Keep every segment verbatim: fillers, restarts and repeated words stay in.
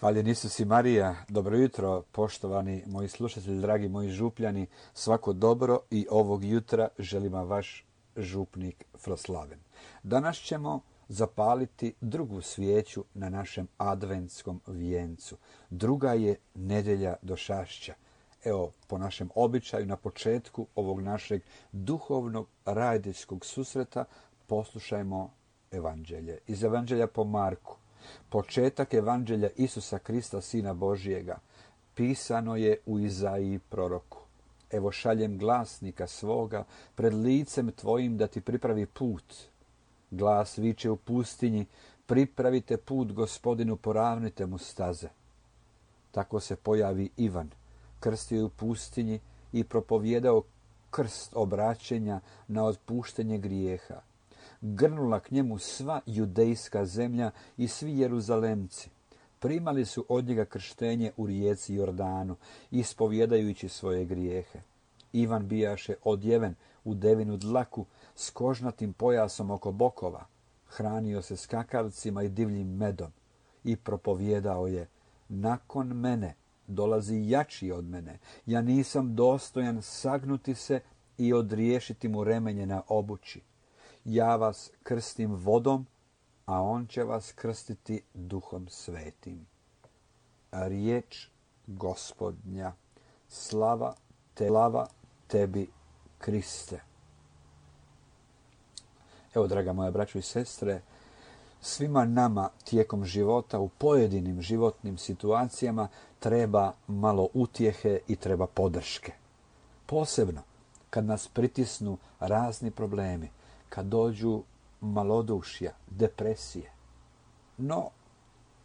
Hvaljen Isus i Marija, dobro jutro, poštovani moji slušatelji, dragi moji župljani, svako dobro i ovog jutra želim vam vaš župnik Froslaven. Danas ćemo zapaliti drugu svijeću na našem adventskom vijencu. Druga je nedjelja došašća. Evo, po našem običaju, na početku ovog našeg duhovnog radijskog susreta poslušajmo evanđelje. Iz evanđelja po Marku. Početak evanđelja Isusa Krista, Sina Božijega, pisano je u Izaiji proroku. Evo šaljem glasnika svoga pred licem tvojim da ti pripravi put. Glas viče u pustinji, pripravite put Gospodinu, poravnite mu staze. Tako se pojavi Ivan, krstio je u pustinji i propovijedao krst obraćenja na otpuštenje grijeha. Grnula k njemu sva judejska zemlja i svi Jeruzalemci. Primali su od njega krštenje u rijeci Jordanu, ispovjedajući svoje grijehe. Ivan bijaše odjeven u devinu dlaku s kožnatim pojasom oko bokova. Hranio se skakavcima i divljim medom i propovijedao je: nakon mene dolazi jači od mene. Ja nisam dostojan sagnuti se i odriješiti mu remenje na obući. Ja vas krstim vodom, a on će vas krstiti Duhom Svetim. Riječ Gospodnja. Slava te, slava tebi, Kriste. Evo, draga moja braćo i sestre, svima nama tijekom života u pojedinim životnim situacijama treba malo utjehe i treba podrške. Posebno kad nas pritisnu razni problemi, kad dođu malodušja, depresije. No,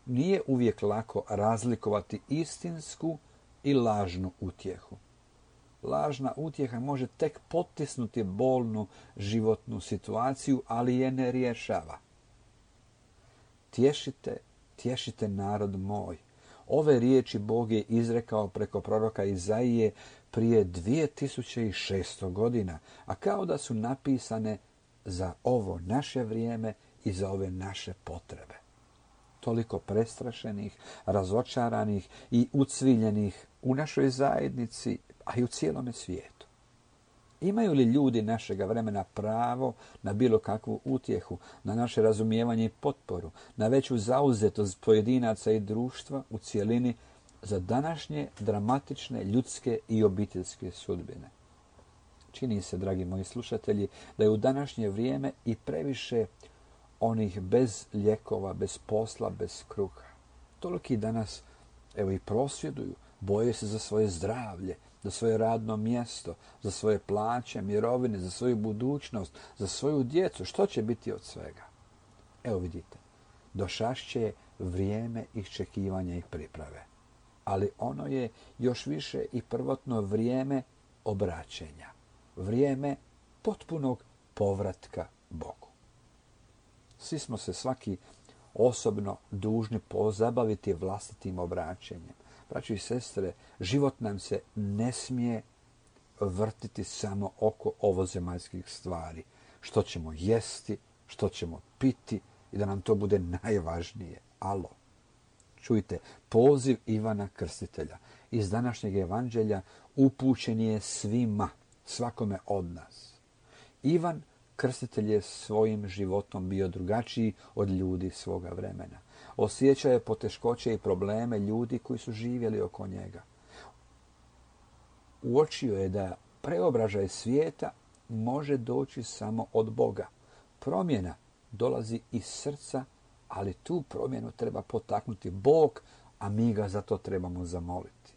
nije uvijek lako razlikovati istinsku i lažnu utjehu. Lažna utjeha može tek potisnuti bolnu životnu situaciju, ali je ne rješava. Tješite, tješite narod moj. Ove riječi Bog je izrekao preko proroka Izaije prije dvije tisuće šesto godina, a kao da su napisane za ovo naše vrijeme i za ove naše potrebe. Toliko prestrašenih, razočaranih i ucviljenih u našoj zajednici, a i u cijelome svijetu. Imaju li ljudi našega vremena pravo na bilo kakvu utjehu, na naše razumijevanje i potporu, na veću zauzetost pojedinaca i društva u cjelini za današnje dramatične ljudske i obiteljske sudbine? Čini se, dragi moji slušatelji, da je u današnje vrijeme i previše onih bez lijekova, bez posla, bez kruha. Toliki danas, evo, i prosvjeduju, boje se za svoje zdravlje, za svoje radno mjesto, za svoje plaće, mirovine, za svoju budućnost, za svoju djecu. Što će biti od svega? Evo vidite, došašće je vrijeme iščekivanja i priprave. Ali ono je još više i prvotno vrijeme obraćenja. Vrijeme potpunog povratka Bogu. Svi smo se svaki osobno dužni pozabaviti vlastitim obraćenjem. Braćo i sestre, život nam se ne smije vrtiti samo oko ovozemaljskih stvari. Što ćemo jesti, što ćemo piti i da nam to bude najvažnije. Alo, čujte, poziv Ivana Krstitelja iz današnjeg evanđelja upućen je svima, svakome od nas. Ivan Krstitelj je svojim životom bio drugačiji od ljudi svoga vremena. Osjećao je poteškoće i probleme ljudi koji su živjeli oko njega. Uočio je da preobražaj svijeta može doći samo od Boga. Promjena dolazi iz srca, ali tu promjenu treba potaknuti Bog, a mi ga za to trebamo zamoliti.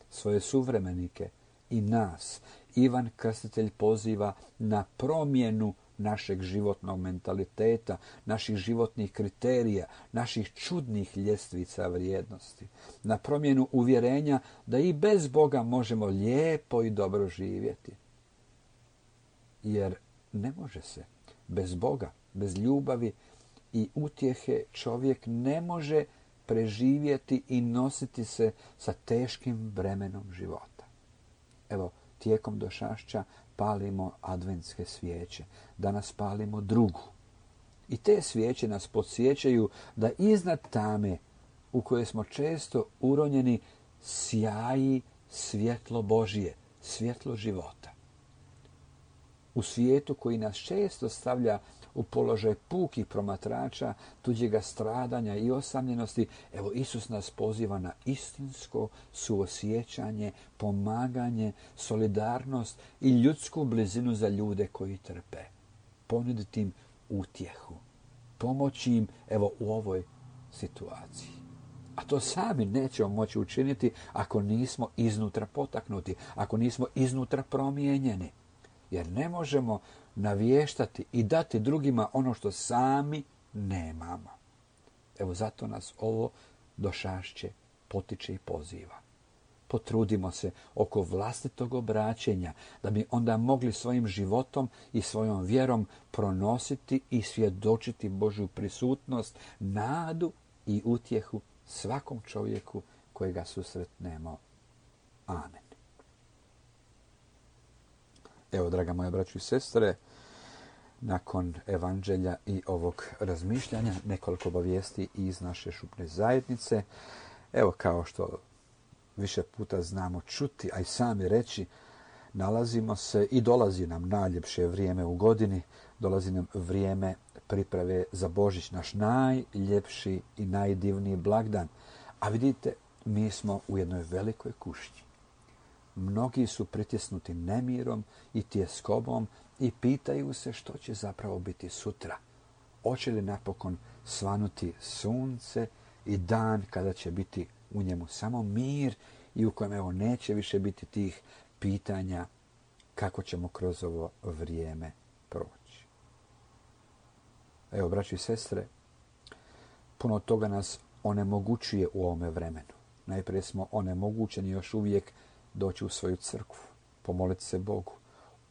Svoje suvremenike i nas Ivan Krstitelj poziva na promjenu našeg životnog mentaliteta, naših životnih kriterija, naših čudnih ljestvica vrijednosti, na promjenu uvjerenja da i bez Boga možemo lijepo i dobro živjeti. Jer ne može se bez Boga, bez ljubavi i utjehe čovjek ne može preživjeti i nositi se sa teškim bremenom života. Evo, tijekom došašća palimo adventske svijeće. Danas palimo drugu. I te svijeće nas podsjećaju da iznad tame u kojoj smo često uronjeni, sjaji svjetlo Božije, svjetlo života. U svijetu koji nas često stavlja u položaj pukih promatrača, tuđega stradanja i osamljenosti, evo Isus nas poziva na istinsko suosjećanje, pomaganje, solidarnost i ljudsku blizinu za ljude koji trpe. Ponuditi im utjehu, pomoći im evo u ovoj situaciji. A to sami nećemo moći učiniti ako nismo iznutra potaknuti, ako nismo iznutra promijenjeni. Jer ne možemo navještati i dati drugima ono što sami nemamo. Evo zato nas ovo došašće, potiče i poziva. Potrudimo se oko vlastitog obraćenja, da bi onda mogli svojim životom i svojom vjerom pronositi i svjedočiti Božju prisutnost, nadu i utjehu svakom čovjeku kojega susretnemo. Amen. Evo, draga moja braćo i sestre, nakon evanđelja i ovog razmišljanja, nekoliko obavijesti iz naše župne zajednice. Evo, kao što više puta znamo čuti, a i sami reći, nalazimo se i dolazi nam najljepše vrijeme u godini, dolazi nam vrijeme priprave za Božić, naš najljepši i najdivniji blagdan. A vidite, mi smo u jednoj velikoj kušnji. Mnogi su pritisnuti nemirom i tjeskobom i pitaju se što će zapravo biti sutra. Hoće li napokon svanuti sunce i dan kada će biti u njemu samo mir i u kojem evo neće više biti tih pitanja kako ćemo kroz ovo vrijeme proći. Evo, braći i sestre, puno toga nas onemogućuje u ovome vremenu. Najprije smo onemogućeni još uvijek doći u svoju crkvu, pomoliti se Bogu,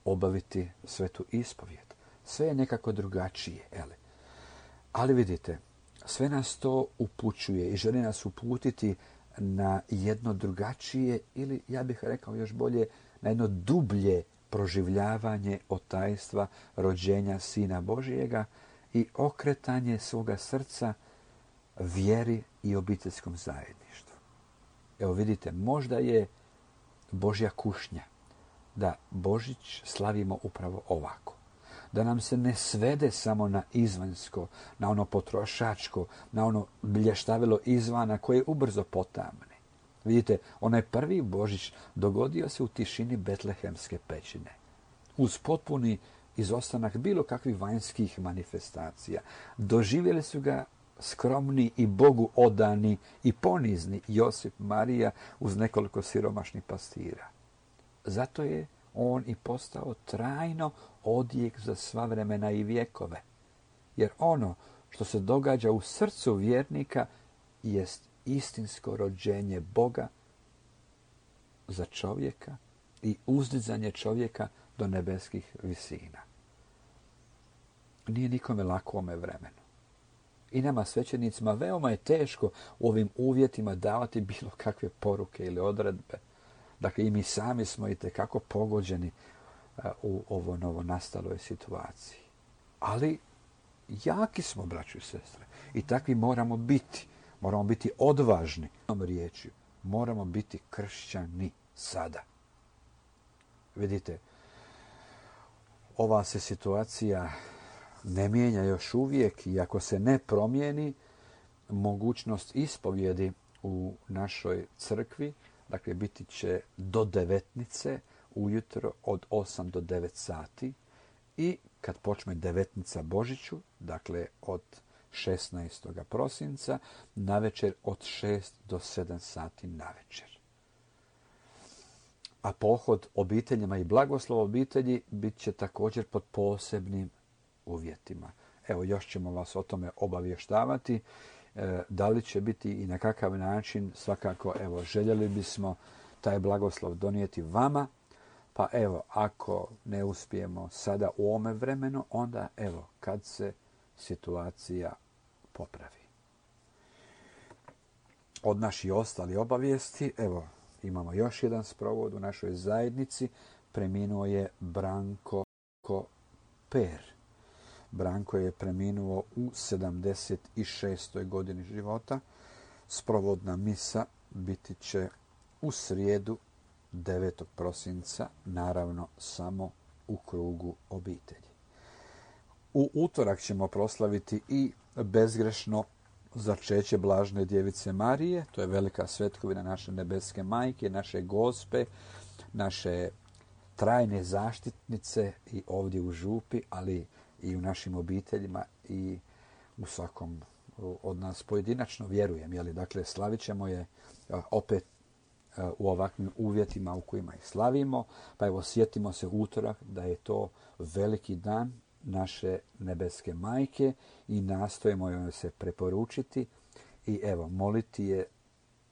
obaviti svetu ispovijed. Sve je nekako drugačije, ele. Ali vidite, sve nas to upućuje i želi nas uputiti na jedno drugačije ili, ja bih rekao još bolje, na jedno dublje proživljavanje otajstva rođenja Sina Božijega i okretanje svoga srca vjeri i obiteljskom zajedništvu. Evo vidite, možda je Božja kušnja da Božić slavimo upravo ovako. Da nam se ne svede samo na izvanjsko, na ono potrošačko, na ono blještavilo izvana koje ubrzo potamne. Vidite, onaj prvi Božić dogodio se u tišini betlehemske pećine. Uz potpuni izostanak bilo kakvih vanjskih manifestacija. Doživjeli su ga skromni i Bogu odani i ponizni Josip Marija uz nekoliko siromašnih pastira. Zato je on i postao trajno odjek za sva vremena i vjekove. Jer ono što se događa u srcu vjernika jest istinsko rođenje Boga za čovjeka i uzdizanje čovjeka do nebeskih visina. Nije nikome lako u ovome vremenu. I nama svećenicima veoma je teško u ovim uvjetima davati bilo kakve poruke ili odredbe. Dakle, i mi sami smo itekako pogođeni u ovo novo nastaloj situaciji. Ali jaki smo, braćo i sestre. I takvi moramo biti. Moramo biti odvažni. Riječju, moramo biti kršćani sada. Vidite, ova se situacija ne mijenja još uvijek i ako se ne promijeni, mogućnost ispovjedi u našoj crkvi, dakle biti će do devetnice ujutro od osam do devet sati i kad počne devetnica Božiću, dakle od šesnaestog prosinca, navečer od šest do sedam sati navečer. A pohod obiteljima i blagoslov obitelji bit će također pod posebnim uvjetima. Evo, još ćemo vas o tome obavještavati. E, da li će biti i na kakav način, svakako, evo, željeli bismo taj blagoslov donijeti vama, pa evo, ako ne uspijemo sada u ovome vremenu, onda evo, kad se situacija popravi. Od naših ostali obavijesti, evo, imamo još jedan sprovod u našoj zajednici. Preminuo je Branko Per. Branko je preminuo u sedamdeset šestoj godini života. Sprovodna misa biti će u srijedu devetog prosinca, naravno samo u krugu obitelji. U utorak ćemo proslaviti i bezgrešno začeće Blažene djevice Marije, to je velika svetkovina naše nebeske majke, naše Gospe, naše trajne zaštitnice i ovdje u župi, ali i u našim obiteljima i u svakom od nas pojedinačno, vjerujem. Jeli? Dakle, slavit ćemo je opet u ovakvim uvjetima u kojima ih slavimo. Pa evo, sjetimo se utorak da je to veliki dan naše nebeske majke i nastojimo joj se preporučiti i evo, moliti je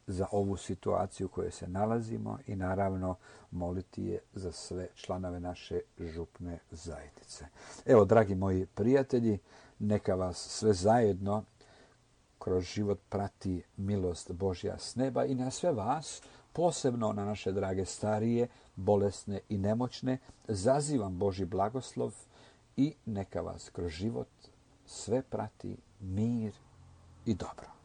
za ovu situaciju u kojoj se nalazimo i naravno moliti je za sve članove naše župne zajednice. Evo, dragi moji prijatelji, neka vas sve zajedno kroz život prati milost Božja s neba i na sve vas, posebno na naše drage starije, bolesne i nemoćne, zazivam Božji blagoslov i neka vas kroz život sve prati mir i dobro.